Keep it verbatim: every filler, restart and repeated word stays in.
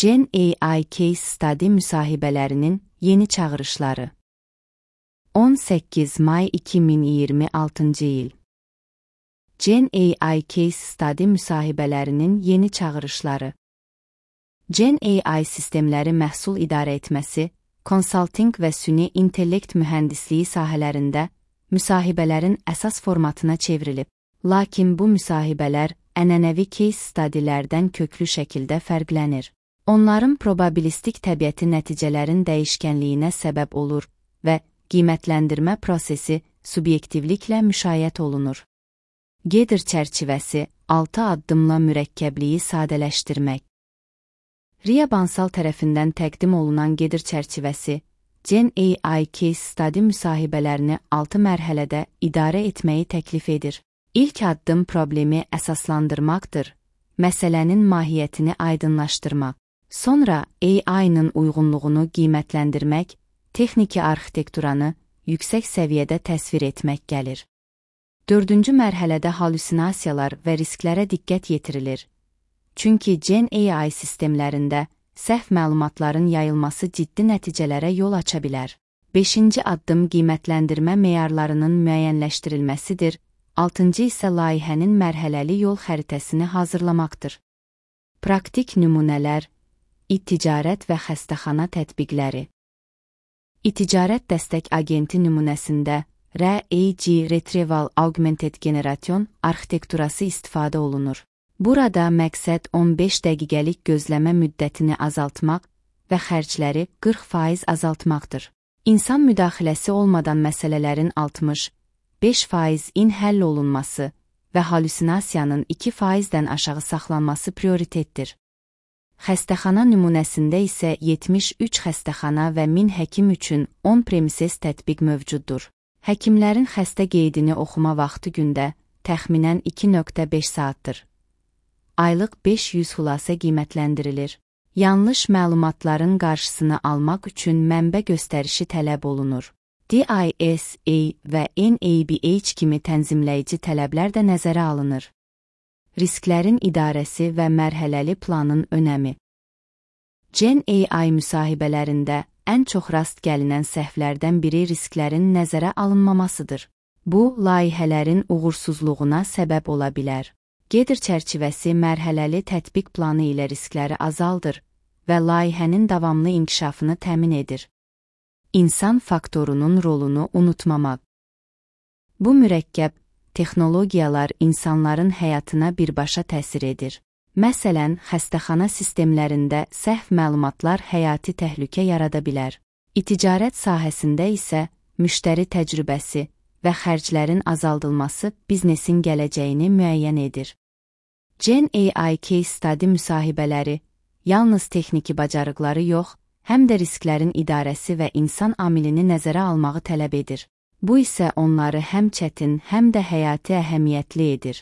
Gen A I Case Study müsahibələrinin yeni çağırışları. on səkkiz may iki min iyirmi altıncı il. Gen A I Case Study müsahibələrinin yeni çağırışları. Gen A I sistemləri məhsul idarə etməsi, konsaltinq və süni intellekt mühəndisliyi sahələrində müsahibələrin əsas formatına çevrilib. Lakin bu müsahibələr ənənəvi case studylərdən köklü şəkildə fərqlənir. Onların probabilistik təbiəti nəticələrin dəyişkənliyinə səbəb olur və qiymətləndirmə prosesi subyektivliklə müşayiət olunur. Gedir çərçivəsi altı addımla mürəkkəbliyi sadələşdirmək. Ria Bansal tərəfindən təqdim olunan gedir çərçivəsi, Gen A I Case Study müsahibələrini altı mərhələdə idarə etməyi təklif edir. İlk addım problemi əsaslandırmaqdır, məsələnin mahiyyətini aydınlaşdırmaq. Sonra A I-nın uyğunluğunu qiymətləndirmək, texniki arxitekturanı yüksək səviyyədə təsvir etmək gəlir. Dördüncü mərhələdə halüsinasiyalar və risklərə diqqət yetirilir. Çünki Gen A I sistemlərində səhv məlumatların yayılması ciddi nəticələrə yol aça bilər. Beşinci addım qiymətləndirmə meyarlarının müəyyənləşdirilməsidir. Altıncı isə layihənin mərhələli yol xəritəsini hazırlamaqdır. Praktik nümunələr, İ-ticarət və xəstəxana tətbiqləri. İ-ticarət dəstək agenti nümunəsində R A G Retrieval Augmented Generation arxitekturası istifadə olunur. Burada məqsəd on beş dəqiqəlik gözləmə müddətini azaltmaq və xərcləri qırx faiz azaltmaqdır. İnsan müdaxiləsi olmadan məsələlərin altmış beş faiz-in həll olunması və halüsinasiyanın iki faizdən aşağı saxlanması prioritetdir. Xəstəxana nümunəsində isə yetmiş üç xəstəxana və min həkim üçün on premises tətbiq mövcuddur. Həkimlərin xəstə qeydini oxuma vaxtı gündə təxminən iki nöqtə beş saatdır. Aylıq beş yüz xülasə qiymətləndirilir. Yanlış məlumatların qarşısını almaq üçün mənbə göstərişi tələb olunur. D I S A və N A B H kimi tənzimləyici tələblər də nəzərə alınır. Risklərin idarəsi və mərhələli planın önəmi. Gen A I müsahibələrində ən çox rast gəlinən səhvlərdən biri risklərin nəzərə alınmamasıdır. Bu, layihələrin uğursuzluğuna səbəb ola bilər. Gedir çərçivəsi mərhələli tətbiq planı ilə riskləri azaldır və layihənin davamlı inkişafını təmin edir. İnsan faktorunun rolunu unutmamaq. Bu mürəkkəb texnologiyalar insanların həyatına birbaşa təsir edir. Məsələn, xəstəxana sistemlərində səhv məlumatlar həyati təhlükə yarada bilər. İ-ticarət sahəsində isə müştəri təcrübəsi və xərclərin azaldılması biznesin gələcəyini müəyyən edir. Gen A I Case Study müsahibələri yalnız texniki bacarıqları yox, həm də risklərin idarəsi və insan amilini nəzərə almağı tələb edir. Bu isə onları həm çətin, həm də həyati əhəmiyyətli edir.